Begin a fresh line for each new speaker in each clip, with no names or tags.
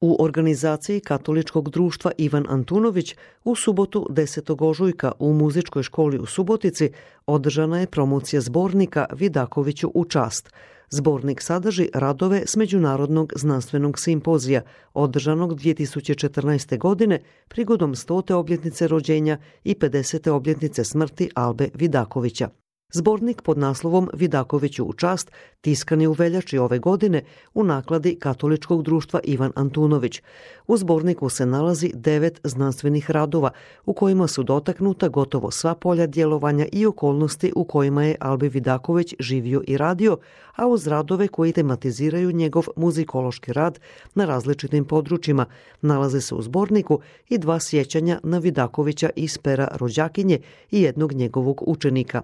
U organizaciji Katoličkog društva Ivan Antunović u subotu 10. ožujka u muzičkoj školi u Subotici održana je promocija zbornika Vidakoviću u čast. Zbornik sadrži radove s Međunarodnog znanstvenog simpozija održanog 2014. godine prigodom 100. obljetnice rođenja i 50. obljetnice smrti Albe Vidakovića. Zbornik pod naslovom Vidakoviću u čast tiskan je u veljači ove godine u nakladi Katoličkog društva Ivan Antunović. U zborniku se nalazi 9 znanstvenih radova u kojima su dotaknuta gotovo sva polja djelovanja i okolnosti u kojima je Albe Vidaković živio i radio, a uz radove koji tematiziraju njegov muzikološki rad na različitim područjima nalaze se u zborniku i 2 sjećanja na Vidakovića iz pera rođakinje i jednog njegovog učenika.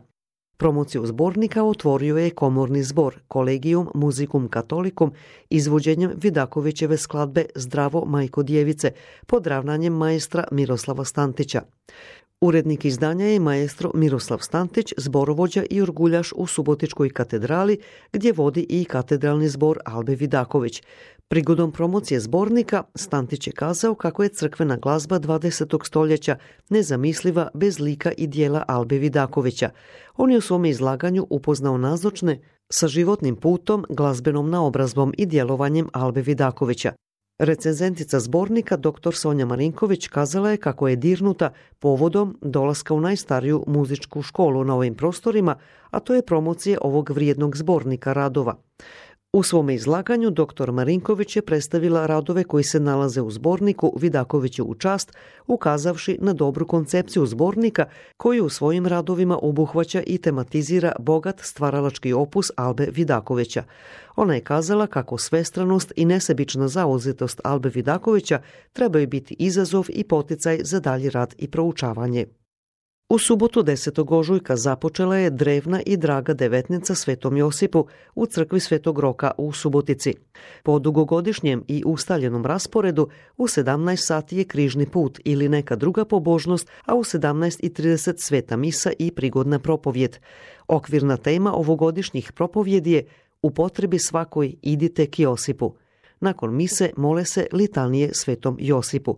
Promociju zbornika otvorio je komorni zbor Collegium Musicum Catholicum izvođenjem Vidakovićeve skladbe Zdravo majko djevice pod ravnanjem maestra Miroslava Stantića. Urednik izdanja je maestro Miroslav Stantić, zborovođa i orguljaš u Subotičkoj katedrali gdje vodi i katedralni zbor Albe Vidaković. Prigodom promocije zbornika Stantić je kazao kako je crkvena glazba 20. stoljeća nezamisliva bez lika i dijela Albe Vidakovića. On je u svom izlaganju upoznao nazočne sa životnim putom, glazbenom naobrazbom i djelovanjem Albe Vidakovića. Recenzentica zbornika dr. Sonja Marinković kazala je kako je dirnuta povodom dolaska u najstariju muzičku školu na ovim prostorima, a to je promocije ovog vrijednog zbornika radova. U svome izlaganju dr. Marinković je predstavila radove koji se nalaze u zborniku Vidakoviću u čast, ukazavši na dobru koncepciju zbornika koji u svojim radovima obuhvaća i tematizira bogat stvaralački opus Albe Vidakovića. Ona je kazala kako svestranost i nesebična zauzetost Albe Vidakovića trebaju biti izazov i poticaj za dalji rad i proučavanje. U subotu 10. ožujka započela je drevna i draga devetnica Svetom Josipu u crkvi Svetog Roka u Subotici. Po dugogodišnjem i ustaljenom rasporedu u 17 sati je križni put ili neka druga pobožnost, a u 17:30 sveta misa i prigodna propovjed. Okvirna tema ovogodišnjih propovjedi je U potrebi svakoj idite k Josipu. Nakon mise mole se litanije Svetom Josipu.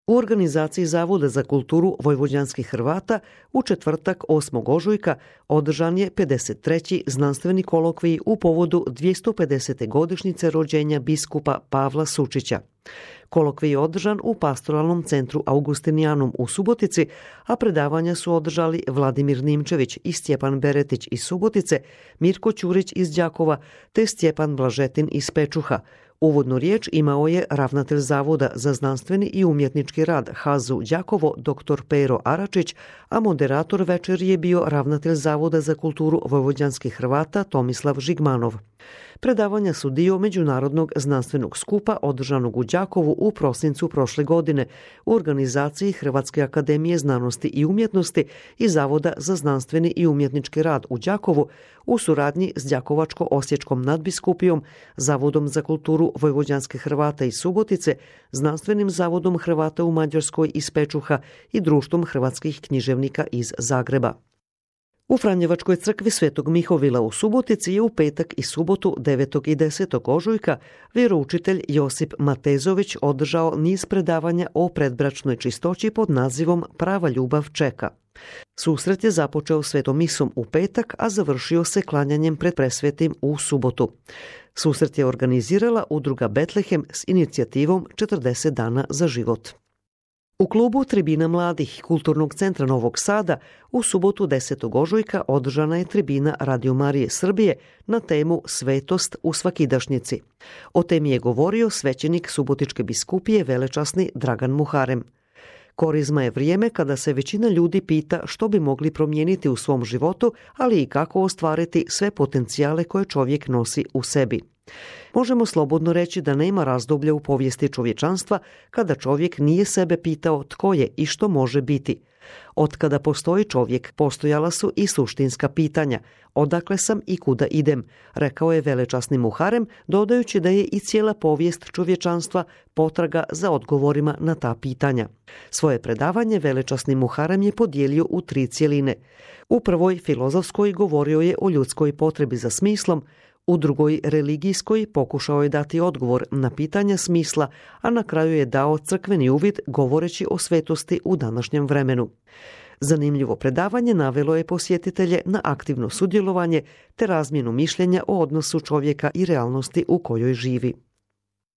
U organizaciji Zavoda za kulturu vojvođanskih Hrvata u četvrtak 8. ožujka održan je 53. znanstveni kolokvij u povodu 250. godišnjice rođenja biskupa Pavla Sučića. Kolokvij je održan u Pastoralnom centru Augustinijanum u Subotici, a predavanja su održali Vladimir Nimčević i Stjepan Beretić iz Subotice, Mirko Ćurić iz Đakova te Stjepan Blažetin iz Pečuha. Uvodnu riječ imao je ravnatelj Zavoda za znanstveni i umjetnički rad HAZU Đakovo dr. Pero Aračić, a moderator večeri je bio ravnatelj Zavoda za kulturu vojvođanskih Hrvata Tomislav Žigmanov. Predavanja su dio međunarodnog znanstvenog skupa održanog u Đakovu u prosincu prošle godine u organizaciji Hrvatske akademije znanosti i umjetnosti i Zavoda za znanstveni i umjetnički rad u Đakovu u suradnji s Đakovačko-osječkom nadbiskupijom, Zavodom za kulturu vojvođanske Hrvata iz Subotice, Znanstvenim zavodom Hrvata u Mađarskoj iz Pečuha i Društvom hrvatskih književnika iz Zagreba. U Franjevačkoj crkvi Svetog Mihovila u Subotici je u petak i subotu 9. i 10. ožujka vjeroučitelj Josip Matezović održao niz predavanja o predbračnoj čistoći pod nazivom Prava ljubav čeka. Susret je započeo svetom misom u petak, a završio se klanjanjem pred presvetim u subotu. Susret je organizirala udruga Betlehem s inicijativom 40 dana za život. U klubu Tribina mladih Kulturnog centra Novog Sada u subotu 10. ožujka održana je tribina Radio Marije Srbije na temu Svetost u svakidašnjici. O temi je govorio svećenik Subotičke biskupije velečasni Dragan Muharem. Korizma je vrijeme kada se većina ljudi pita što bi mogli promijeniti u svom životu, ali i kako ostvariti sve potencijale koje čovjek nosi u sebi. Možemo slobodno reći da nema razdoblja u povijesti čovječanstva kada čovjek nije sebe pitao tko je i što može biti. Otkada postoji čovjek, postojala su i suštinska pitanja. Odakle sam i kuda idem, rekao je velečasni Muharem, dodajući da je i cijela povijest čovječanstva potraga za odgovorima na ta pitanja. Svoje predavanje velečasni Muharem je podijelio u 3 cjeline. U prvoj, filozofskoj, govorio je o ljudskoj potrebi za smislom, U drugoj religijskoj pokušao je dati odgovor na pitanja smisla, a na kraju je dao crkveni uvid govoreći o svetosti u današnjem vremenu. Zanimljivo predavanje navelo je posjetitelje na aktivno sudjelovanje te razmjenu mišljenja o odnosu čovjeka i realnosti u kojoj živi.